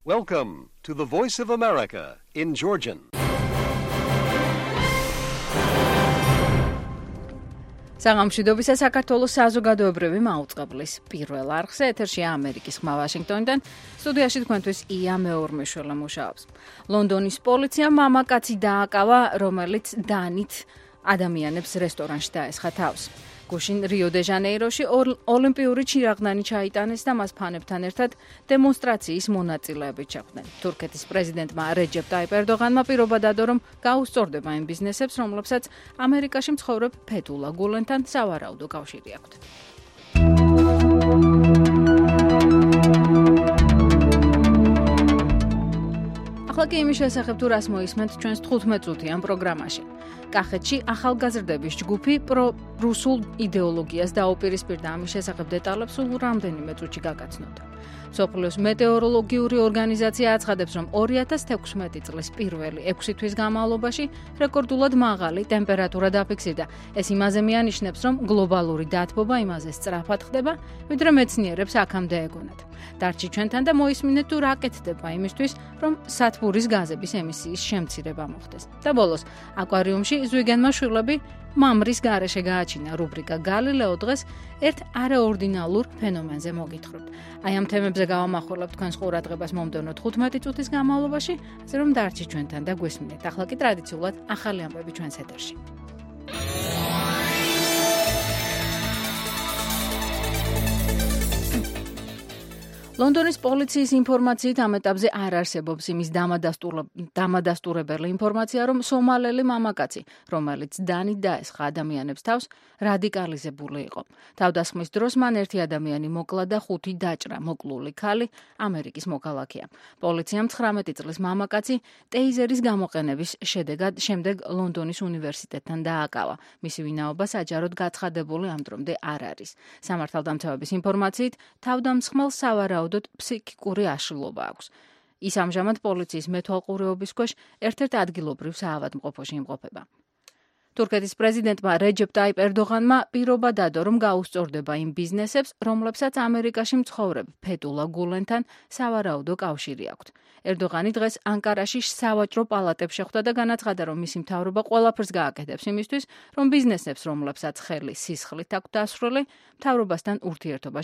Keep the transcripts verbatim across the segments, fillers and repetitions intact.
Welcome to the Voice of America in Georgian. საღამოშვიდობისა საქართველოს საზოგადოებრივი მაუწყებლის პირველ არხზე ეთერშია ამერიკის ხმა ვაშინგტონიდან. სტუდიაში თქვენთვის ია მეორმეშველი მუშაობს. ლონდონის პოლიციამ მამაკაცი დააკავა, რომელიც დანით ადამიანებს რესტორანში დაესხა თავს. გუშინ რიო-დე-ჟანეიროში ოლიმპიური ჩირაღდანი ჩაიტანეს და მას ფანებთან ერთად დემონსტრაციის მონაწილეები ჩახვდნენ. თურქეთის პრეზიდენტმა რეჯეპ ტაიპ ერდოღანმა პირობა დადო, რომ გაუსწორდება იმ ბიზნესებს, რომლებსაც ამერიკაში მცხოვრებ ფეთულა გულენთან სავარაუდო კავშირი აქვთ. ახლა კი იმის შესახებ თუ რას მოისმენთ ჩვენს თხუთმეტ წუთიან პროგრამაში. კახეთში ახალგაზრდების ჯგუფი პრო-რუსულ იდეოლოგიას დაუპირისპირდა. ამის შესახებ დეტალებს სულ რამდენიმე წუთში გაგაცნოთ. მსოფლიოს მეტეოროლოგიური ორგანიზაცია აცხადებს, რომ ორი ათას თექვსმეტი წლის პირველი ექვსი თვის განმავლობაში რეკორდულად მაღალი ტემპერატურა დაფიქსირდა. ეს იმაზე მიანიშნებს, რომ გლობალური დათბობა იმაზე სწრაფად ხდება, ვიდრე მეცნიერებს აქამდე ეგონათ. დარჩი ჩვენთან და მოისმინეთ თუ რა კეთდება იმისთვის, რომ სათბურის გაზების ემისიის შემცირება მოხდეს. და ბოლოს, აკვარიუმში ზვიგენმა შვილები მამრის გარეშე გააჩინა. რუბრიკა გალილეო დღეს ერთ არაორდინალურ ფენომენზე მოგითხრობთ. აი ამ თემებზე გავამახვილებთ თქვენს ყურადღებას მომდევნო თხუთმეტი წუთის განმავლობაში, ასე რომ დარჩი ჩვენთან და გვესმინეთ. ახლა კი ტრადიციულად ახალი ამბები ჩვენს ეთერში. ლონდონის პოლიციის ინფორმაციით ამ ეტაპზე არ არსებობს იმის დამადასტურებელი ინფორმაცია, რომ სომალელი მამაკაცი, რომელიც დანით დაესხა ადამიანებს თავს, რადიკალიზებული იყო. თავდასხმის დროს მან ერთი ადამიანი მოკლა და ხუთი დაჭრა. მოკლული ქალი ამერიკის მოქალაქეა. პოლიციამ ცხრამეტი წლის მამაკაცი ტეიზერის გამოყენების შედეგად შემდეგ ლონდონის უნივერსიტეტთან დააკავა. მისი ვინაობა საჯაროდ გაცხადებული ამ დრომდე არ არის. სამართალდამცავების ინფორმაციით, თავდამსხმელს სავარაუდოდ ფსიქიკური აშლილობა აქვს. ის ამჟამად პოლიციის მეთვალყურეობის ქვეშ ერთ-ერთ ადგილობრივ საავადმყოფოში იმყოფება. თურქეთის პრეზიდენტმა რეჯეპ ტაიპ ერდოღანმა პირობა დადო, რომ გაუსწორდება იმ ბიზნესებს, რომლებსაც ამერიკაში მცხოვრებ ფეთულა გულენთან სავარაუდო კავშირი აქვთ. ერდოღანი დღეს ანკარაში სავაჭრო პალატებს შეხვდა და განაცხადა, რომ მისი მთავრობა ყველაფერს გააკეთებს იმისთვის, რომ ბიზნესებს, რომლებსაც ხელი სისხლით აქვთ დასრულებული, მთავრობასთან ურთიერთობა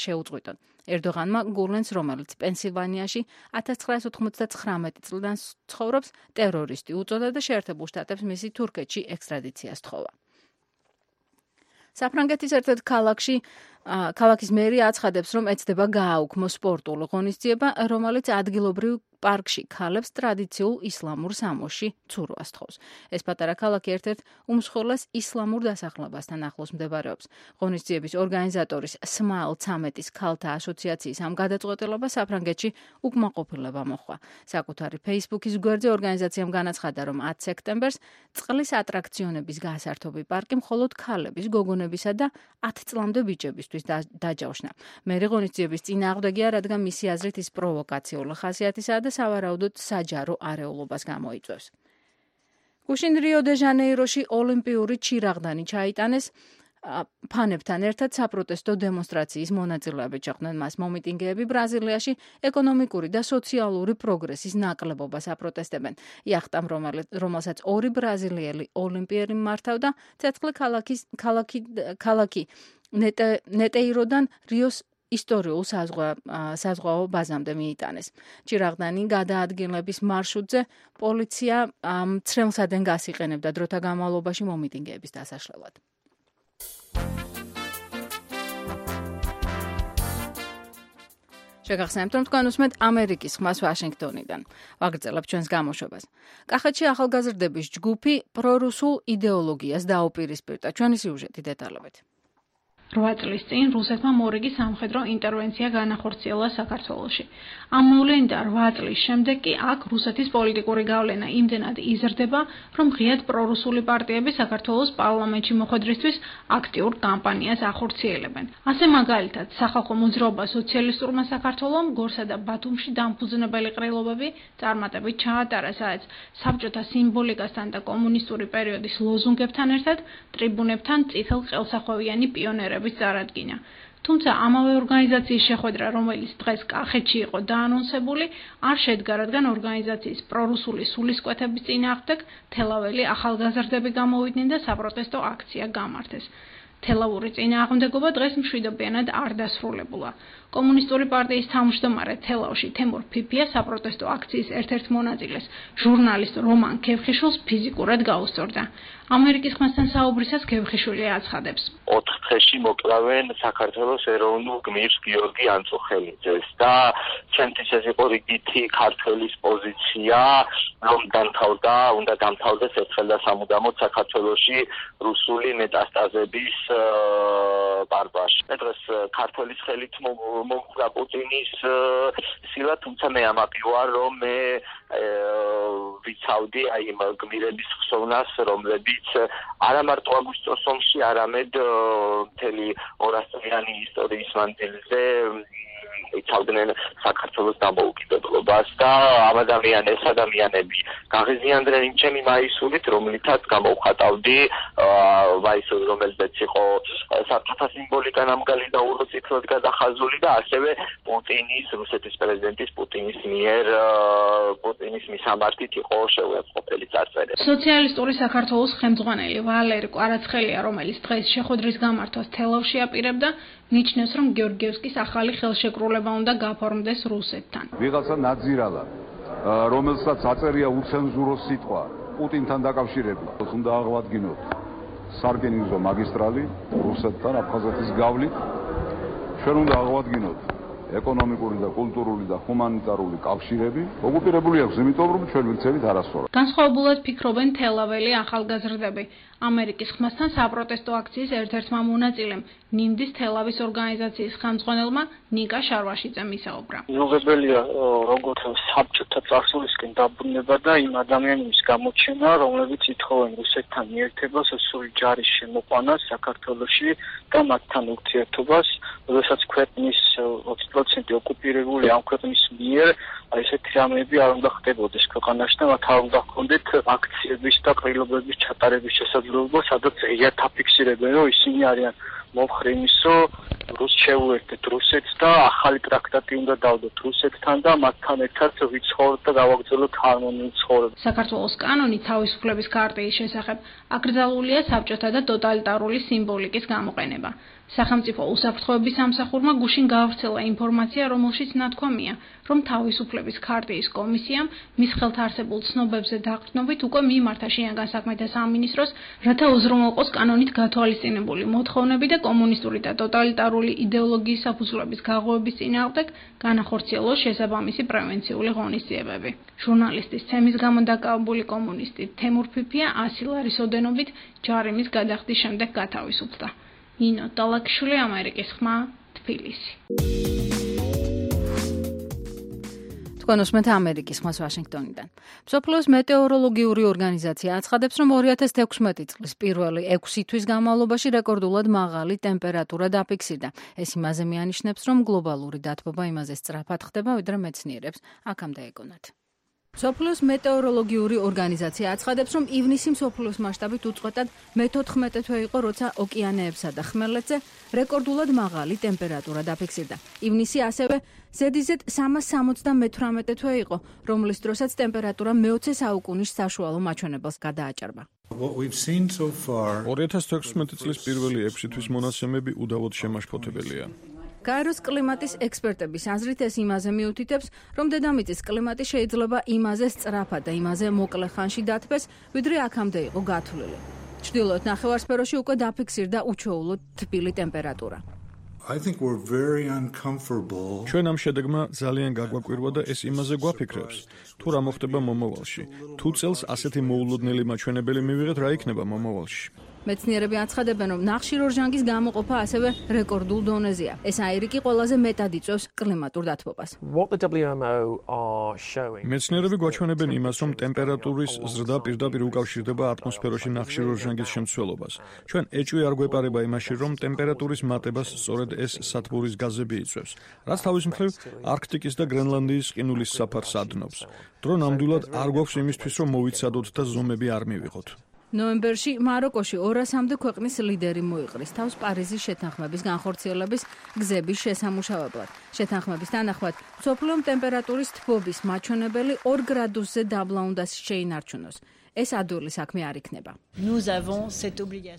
შეუწყვიტონ. ერდოღანმა გულენს, რომელიც პენსილვანიაში ათას ცხრაასი ოთხმოცდაცხრამეტი წლიდან ცხოვრობს, ტერორისტი უწოდა და შეერთებულ შტატებს მისი თურქეთში ექსტრადიციას თხოვა. საფრანგეთის ერთ-ერთ ქალაქში ქალაქის მერი აცხადებს, რომ ეცდება გააუქმო სპორტული ღონისძიება, რომელიც ადგილობრივ პარკში ქალებს ტრადიციულ ისლამურ სამოსში ცურვას თხოვს. ეს პატარა ქალაქი ერთ-ერთ უმსხვილეს ისლამურ დასახლებასთან ახლოს მდებარეობს. ღონისძიების ორგანიზატორის სმაილ ცამეტის ქალთა ასოციაციის ამ გადაწყვეტილებას საფრანგეთში უკმაყოფილება მოჰყვა. საკუთარი ფეისბუქის გვერდზე ორგანიზაციამ განაცხადა, რომ ათი სექტემბერს წყლის ატრაქციონების გასართობი პარკი მხოლოდ ქალების, გოგონებისა და ათი წლამდე ბიჭებისთვის დაჯავშნა. მერი ღონისძიების წინააღმდეგია, რადგან მისი აზრით ის პროვოკაციული ხასიათისაა და სავარაუდოდ საჯარო არეულობას გამოიწვევს. გუშინ რიო-დე-ჟანეიროში ოლიმპიური ჩირაღდანი ჩაიტანეს. ფანებთან ერთად საპროტესტო დემონსტრაციის მონაწილეები ჩახვდნენ. მას მომიტინგეები ბრაზილიაში ეკონომიკური და სოციალური პროგრესის ნაკლებობას აპროტესტებენ. იახტამ, რომელსაც ორი ბრაზილიელი ოლიმპიერი მართავდა, ცეცხლი ქალაქი ნეტეიროდან რიოს ისტორიულ საზღვაო ბაზამდე მიიტანეს. ჩირაღდანი გადაადგილების მარშრუტზე პოლიცია მცრემლსადენგას იყენებდა დროთა განმავლობაში მომიტინგეების დასაშლელად. შეგახსენებთ, რომ თქვენ უსმენთ ამერიკის ხმას ვაშინგტონიდან. ვაგრძელებთ ჩვენს გამოშვებას. კახეთში ახალგაზრდების ჯგუფი პრორუსულ იდეოლოგიას დაუპირისპირდა. ჩვენი სიუჟეტი დეტალებით. რვა წლის წინ რუსეთმა მორიგი სამხედრო ინტერვენცია განახორციელა საქართველოში. ამ მოვლენიდან რვა წლის შემდეგ კი აქ რუსეთის პოლიტიკური გავლენა იმდენად იზრდება, რომ ღიად პრორუსული პარტიები საქართველოს პარლამენტში მოხვედრისთვის აქტიურ კამპანიას ახორციელებენ. ასე მაგალითად, სახალხო მოძრაობა სოციალისტურმა საქართველომ გორსა და ბათუმში დამფუძნებელი ყრილობები წარმატებით ჩაატარა, სადაც საბჭოთა სიმბოლიკასთან და კომუნისტური პერიოდის ლოზუნგებთან ერთად ტრიბუნებთან წითელ ყელსახვევიანი პიონერები წარადგინა. თუმცა ამავე ორგანიზაციის შეხვედრა, რომელიც დღეს კახეთში იყო დაანონსებული, არ შედგა, რადგან ორგანიზაციის პრორუსული სულისკვეთების წინააღმდეგ თელაველი ახალგაზრდები გამოვიდნენ და საპროტესტო აქცია გამართეს. თელავური წინააღმდეგობა დღეს მშვიდობიანად არ დასრულებულა. კომუნისტური პარტიის თავმჯდომარე თელავში თემურ ფიფია საპროტესტო აქციის ერთ-ერთ მონაწილეს, ჟურნალისტ რომან ქევხიშვილს ფიზიკურად გაუსწორდა. ამერიკის ხმასთან საუბრისას ქევხიშვილი აცხადებს. ოთხ დღეში მოკლავენ საქართველოს ეროვნულ გმირს გიორგი ანწუხელიძეს და ჩემთვის ეს იყო რიგითი ქართველის პოზიცია, რომ დამთავრდა, უნდა დამთავრდეს ერთხელ და სამუდამოდ საქართველოში რუსული მეტასტაზების ბარბარში. დღეს ქართველის ხელით მომხდა პუტინის სილა, თუმცა მე ამაყი ვარ, რომ მე ვიცავდი აი იმ გმირების ხსოვნას, რომლებიც არა მარტო აგვისტოს ომში, არამედ მთელი ორასწლიანი ისტორიის მანძილზე იცავდნენ საქართველოს დამოუკიდებლობას და ამ ადამიანებს ადამიანები გაღიზიანდნენ იმ ჩემი მაისურით, რომლითაც გამოვხატავდი მაისური, რომელზეც იყო საკითხა სიმბოლიკა ნამგალი და უწითლად გადახაზული და ასევე პუტინის, რუსეთის პრეზიდენტის პუტინის მიერ პუტინის მისამართით იყო შეუერთყოფელი წარწერა. სოციალისტური საქართველოს ხელმძღვანელი ვალერი კვარაცხელია, რომელიც დღეს შეხვედრის გამართვას თელავში აპირებდა, ნიშნავს, რომ გეორგიევსკის ახალი ხელშეკრულება უნდა გაფორმდეს რუსეთთან. ვიღაცა ნაძირალა, რომელსაც აწერია უცენზურო სიტყვა პუტინთან დაკავშირებით, უნდა აღვადგინოთ სარკინიგზო მაგისტრალი რუსეთთან აფხაზეთის გავლით. ჩვენ უნდა აღვადგინოთ ეკონომიკური და კულტურული და ჰუმანიტარული კავშირები. ოკუპირებული აქვს, იმიტომ რომ ჩვენ ვიქცევით არასწორად. განსხვავებულად ფიქრობენ თელაველი ახალგაზრდები. ამერიკის ხმასთან საპროტესტო აქციის ერთ-ერთმა მონაწილემ, ნიმდის თელავის ორგანიზაციის ხელმძღვანელმა ნიკა შარვაშიძემ ისაუბრა. მიუღებელია როგორც საბჭოთა წარსულისკენ დაბრუნება და იმ ადამიანების გამოჩენა, რომლებიც ითხოვენ რუსეთთან მიერთებას, სრული ჯარის შემოყვანას საქართველოში და მათთან ურთიერთობას, როდესაც ქვეყნის ოცი პროცენტი ოკუპირებული ამ ქვეყნის მიერ, აი ესეთი რამეები არ უნდა ხდებოდეს ქვეყანაში და მათ არ უნდა ჰქონდეთ აქციების და ყრილობების ჩატარების შესაძლებლობა, სადაც ღიად აფიქსირებენ, რომ ისინი არიან მომხრე იმისო, რუს შეუერთდეთ რუსეთს და ახალი ტრაქტატი უნდა დავდოთ რუსეთთან და მათთან ერთად ვიცხოვროთ და გავაგრძელოთ ჰარმონიულ ცხოვრებას. საქართველოს კანონი თავისუფლების ქარტიის შესახებ აკრძალულია საბჭოთა და ტოტალიტარული სიმბოლიკის გამოყენება. სახელმწიფო უსაფრთხოების სამსახურმა გუშინ გაავრცელა ინფორმაცია, რომელშიც ნათქვამია, რომ თავისუფლების ქარტიის კომისიამ მის ხელთ არსებულ ცნობებზე დაყრდნობით უკვე მიმართა შინაგან საქმეთა სამინისტროს, რათა უზრუნველყოს კანონით გათვალისწინებული მოთხოვნები და კომუნისტური და ტოტალიტარული იდეოლოგიის საფუძვლების გაღვივების წინააღმდეგ განახორციელოს შესაბამისი პრევენციული ღონისძიებები. ჟურნალისტის ცემის გამო დაკავებული კომუნისტი თემურ ფიფია ასი ლარის ოდენობით ჯარიმის გადახდის შემდეგ გათავისუფლდა. ნინო ტალაკშვილი, ამერიკის ხმა, თბილისი. თქვენ უსმენთ ამერიკის ხმას ვაშინგტონიდან. მსოფლიოს მეტეოროლოგიური ორგანიზაცია აცხადებს, რომ ორი ათას თექვსმეტი წლის პირველი ექვსი თვის განმავლობაში რეკორდულად მაღალი ტემპერატურა დაფიქსირდა. ეს იმაზე მიანიშნებს, რომ გლობალური დათბობა იმაზე სწრაფად ხდება, ვიდრე მეცნიერებს აქამდე ეგონათ. მსოფლიოს მეტეოროლოგიური ორგანიზაცია აცხადებს, რომ ივნისი მსოფლიოს მასშტაბით უწყვეტად მეთოთხმეტე თვე იყო, როცა ოკეანეებსა და ხმელეთზე რეკორდულად მაღალი ტემპერატურა დაფიქსირდა. ივნისი ასევე ზედიზედ სამას სამოცდამეთვრამეტე თვე იყო, რომლის დროსაც ტემპერატურა მეოცე საუკუნის საშუალო მაჩვენებელს გადააჭარბა. ორი ათას თექვსმეტი წლის პირველი ექვსი თვის მონაცემები უდავოდ შემაშფოთებელია. გაეროს კლიმატის ექსპერტების აზრით ეს იმაზე მიუთითებს, რომ დედამიწის კლიმატი შეიძლება იმაზე სწრაფად და იმაზე მოკლე ხანში დათბეს, ვიდრე აქამდე იყო გათვლილი. ჩრდილოეთ ნახევარსფეროში უკვე დაფიქსირდა უჩვეულოდ თბილი ტემპერატურა. ჩვენ ამ შედეგმა ძალიან გაგვაკვირვა და ეს იმაზე გვაფიქრებს, თუ რა მოხდება მომავალში. თუ წელს ასეთი მოულოდნელი მაჩვენებელი მივიღეთ, რა იქნება მომავალში. მეცნიერები აცხადებენ, რომ ნახშირორჟანგის გამოყოფა ასევე რეკორდულ დონეზეა. ეს აირიკი ყველაზე მეტად იწვევს კლიმატურ დათბობას. მეცნიერები გვაჩვენებენ იმას, რომ ტემპერატურის ზრდა პირდაპირ უკავშირდება ატმოსფეროში ნახშირორჟანგის შემცველობას. ჩვენ ეჭვი არ გვეპარება იმაში, რომ ტემპერატურის მატებას სწორედ ეს სათბურის გაზები იწვევს, რაც თავის მხრივ არქტიკის და გრენლანდიის ყინულის საფარს ადნობს. დრო ნამდვილად არ გვაქვს იმისთვის, რომ მოვიცადოთ და ზომები არ მივიღოთ. ნოემბერში მაროკოში ორასამდე ქვეყნის ლიდერი მოიყრის თავს პარიზის შეთანხმების განხორციელების გზების შესამუშავებლად. შეთანხმების თანახმად, მსოფლიო ტემპერატურის თბობის მაჩვენებელი ორ გრადუსზე დაბლა უნდა შეინარჩუნოს. ეს ადვილი საქმე არ იქნება.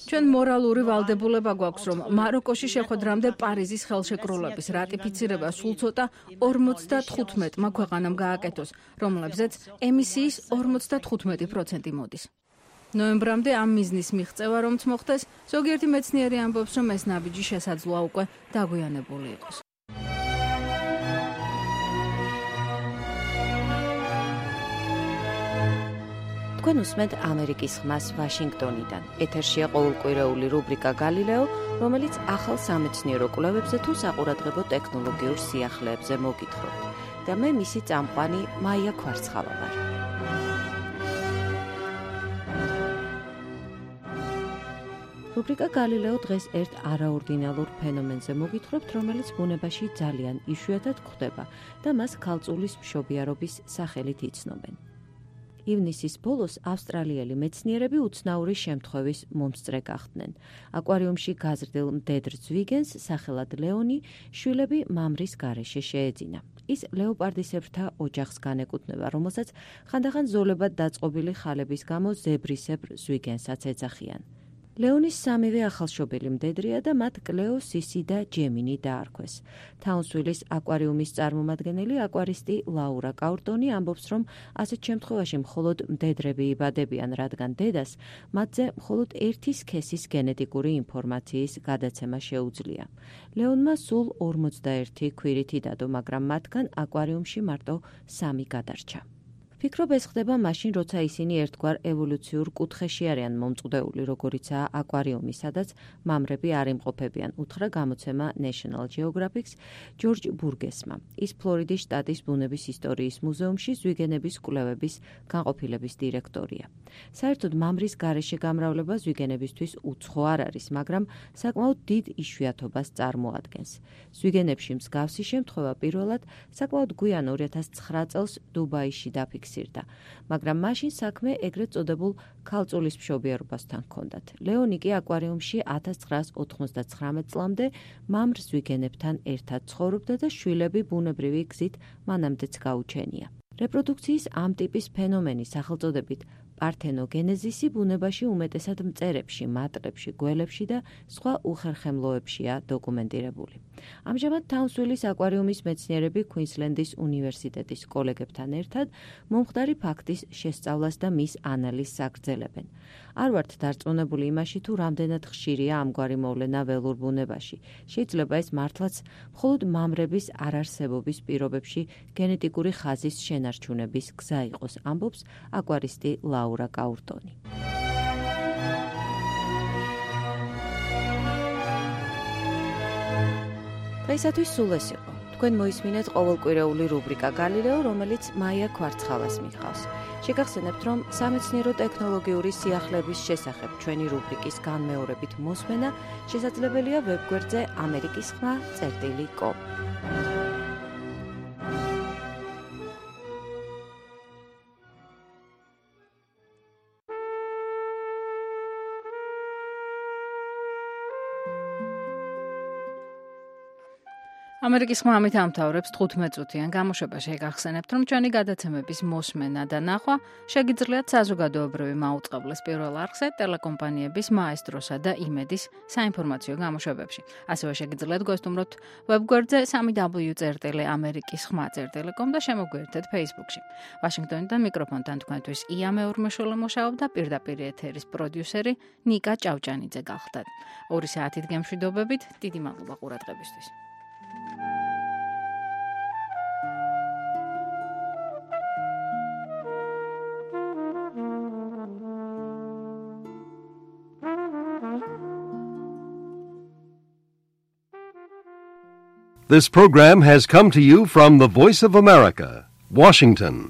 ჩვენ მორალური ვალდებულება გვაქვს, რომ მაროკოში შეხვედრამდე პარიზის ხელშეკრულების რატიფიცირება სულ ცოტა ორმოცდათხუთმეტმა ქვეყანამ გააკეთოს, რომლებზეც ემისიის ორმოცდათხუთმეტი პროცენტი მოდის. ნოემბრამდე ამ მიზნის მიღწევა რომც მოხდეს, ზოგიერთი მეცნიერი ამბობს, რომ ეს ნაბიჯი შესაძლოა უკვე დაგვიანებული იყოს. თქვენ უსმენთ ამერიკის ხმას ვაშინგტონიდან. ეთერშია ყოველკვირეული რუბრიკა გალილეო, რომელიც ახალ სამეცნიერო კვლევებზე თუ საყურადღებო ტექნოლოგიურ სიახლეებზე მოგითხრობთ. და მე მისი წამყვანი მაია ქვარცხალა ვარ. რუბრიკა გალილეო დღეს ერთ არაორდინალურ ფენომენზე მოგითხრობთ, რომელიც ბუნებაში ძალიან იშვიათად გვხვდება და მას ქალწულის მშობიარობის სახელით იცნობენ. ივნისის ბოლოს ავსტრალიელი მეცნიერები უცნაური შემთხვევის მომსწრე გახდნენ. აკვარიუმში გაზრდილ მდედრ ზვიგენს, სახელად ლეონი, შვილები მამრის გარეშე შეეძინა. ის ლეოპარდისებრთა ოჯახს განეკუთვნება, რომელსაც ხანდახან ზოლებად დაწყობილი ხალების გამო ზებრისებრ ზვიგენსაც ეძახიან. ლეონის სამივე ახალშობილი მდედრია და მათ კლეო, სისი და ჯემინი დაარქვეს. თაუნსვილის აკვარიუმის წარმომადგენელი აკვარისტი ლაურა კაურტონი ამბობს, რომ ასეთ შემთხვევაში მხოლოდ მდედრები იბადებიან, რადგან დედას მათზე მხოლოდ ერთი სქესის გენეტიკური ინფორმაციის გადაცემა შეუძლია. ლეონმა სულ ორმოცდაერთი ქვირითი დადო, მაგრამ მათგან აკვარიუმში მარტო სამი გადარჩა. ფიქრობ ეს ხდება მაშინ, როცა ისინი ერთგვარ ევოლუციურ კუთხეში არიან მომწყვდეული, როგორიცაა აკვარიუმი, სადაც მამრები არ იმყოფებიან, უთხრა გამოცემა National Geographic-ს ჯორჯ ბურგესმა. ის ფლორიდის შტატის ბუნების ისტორიის მუზეუმში ზვიგენების კვლევების განყოფილების დირექტორია. საერთოდ მამრის გარეშე გამრავლება ზვიგენებისთვის უცხო არ არის, მაგრამ საკმაოდ დიდ იშვიათობას წარმოადგენს. ზვიგენებში მსგავსი შემთხვევა პირველად საკმაოდ გვიან ორი ათას ცხრა წელს დუბაიში დაფიქსირდა, მაგრამ მაშინ საქმე ეგრეთ წოდებულ ქალწულის მშობიარობასთან ჰქონდათ. ლეონი კი აკვარიუმში ათას ცხრაას ოთხმოცდაცხრამეტ წლამდე მამრ ზვიგენებთან ერთად ცხოვრობდა და შვილები ბუნებრივი გზით მანამდეც გაუჩენია. რეპროდუქციის ამ ტიპის ფენომენი სახელწოდებით პართენოგენეზისი ბუნებაში უმეტესად მწერებში, მატლებში, გველებში და სხვა უხერხემლოებშია დოკუმენტირებული. ამჟამად თაუნსვილის აკვარიუმის მეცნიერები κουინსლენდის უნივერსიტეტის კოლეგებთან ერთად მომხდარი ფაქტის შესწავლას და მის ანალიზს აგრძელებენ. არ ვართ დარწმუნებული იმაში, თუ რამდენად ხშირია ამგვარი მოვლენა ველურ ბუნებაში. შეიძლება ეს მართლაც მხოლოდ მამრების არარსებობის პირობებში გენეტიკური ხაზის შენარჩუნების გზა იყოს, ამბობს აკვარისტი ლაურა კაურტონი. დღეისათვის სულ ეს იყო. თქვენ მოისმინეთ ყოველკვირეული რუბრიკა გალილეო, რომელიც მაია ქვარცხალას მიჰყავს. შეგახსენებთ, რომ სამეცნიერო ტექნოლოგიური სიახლეების შესახებ ჩვენი რუბრიკის განმეორებით მოსმენა შესაძლებელია ვებგვერდზე ამერიკის ხმა წერტილი კომ. ამერიკის ხმა ამით ამთავრებს თხუთმეტ წუთიან გამოშვება. შეგახსენებთ, რომ ჩვენი გადაცემების მოსმენა და ნახვა შეგიძლიათ საზოგადოებრივი მაუწყებლის პირველ არხზე, ტელეკომპანიების მაესტროსა და იმედის საინფორმაციო გამოშვებებში. ასევე შეგიძლიათ გვესტუმროთ ვებგვერდზე სამი დაბლიუ წერტილი ამერიკის ხმა წერტილი კომ და შემოგვიერთეთ Facebook-ში. ვაშინგტონიდან მიკროფონთან თქვენთვის ია მეურმეშვილე მუშაობდა, პირდაპირ ეთერის პროდიუსერი ნიკა ჭავჭანიძე გახლდათ. ორი საათით გემშვიდობებით, დიდი მადლობა ყურადღებისთვის. This program has come to you from the Voice of America, Washington.